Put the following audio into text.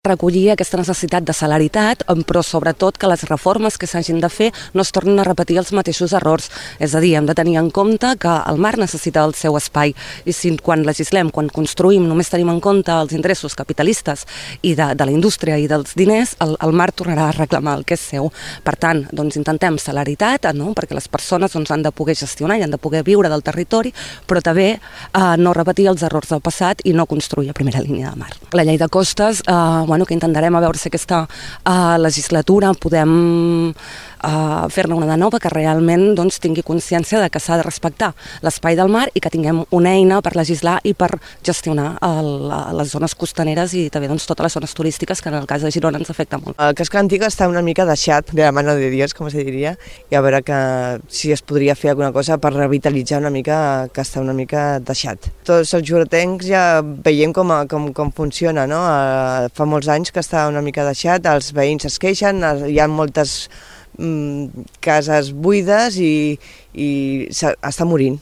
recollir aquesta necessitat de celeritat, però sobretot que les reformes que s'hagin de fer no es tornin a repetir els mateixos errors. És a dir, hem de tenir en compte que el mar necessita el seu espai i si quan legislem, quan construïm, només tenim en compte els interessos capitalistes i de la indústria i dels diners, el mar tornarà a reclamar el que és seu. Per tant, doncs intentem celeritat, no? Perquè les persones han de poder gestionar i han de poder viure del territori, però també no repetir els errors del passat i no construir a primera línia de mar. La llei de costes, que intentarem a veure si aquesta legislatura podem fer-ne una de nova que realment tingui consciència de que s'ha de respectar l'espai del mar i que tinguem una eina per legislar i per gestionar les zones costaneres i també totes les zones turístiques que en el cas de Girona ens afecta molt. El casc antic està una mica deixat, de la mano de Dios, com se diria, i a veure si es podria fer alguna cosa per revitalitzar una mica, que està una mica deixat. Tots els juretencs ja veiem com funciona, no? Fa molts anys que està una mica deixat, els veïns es queixen, hi ha moltes cases buides i està morint.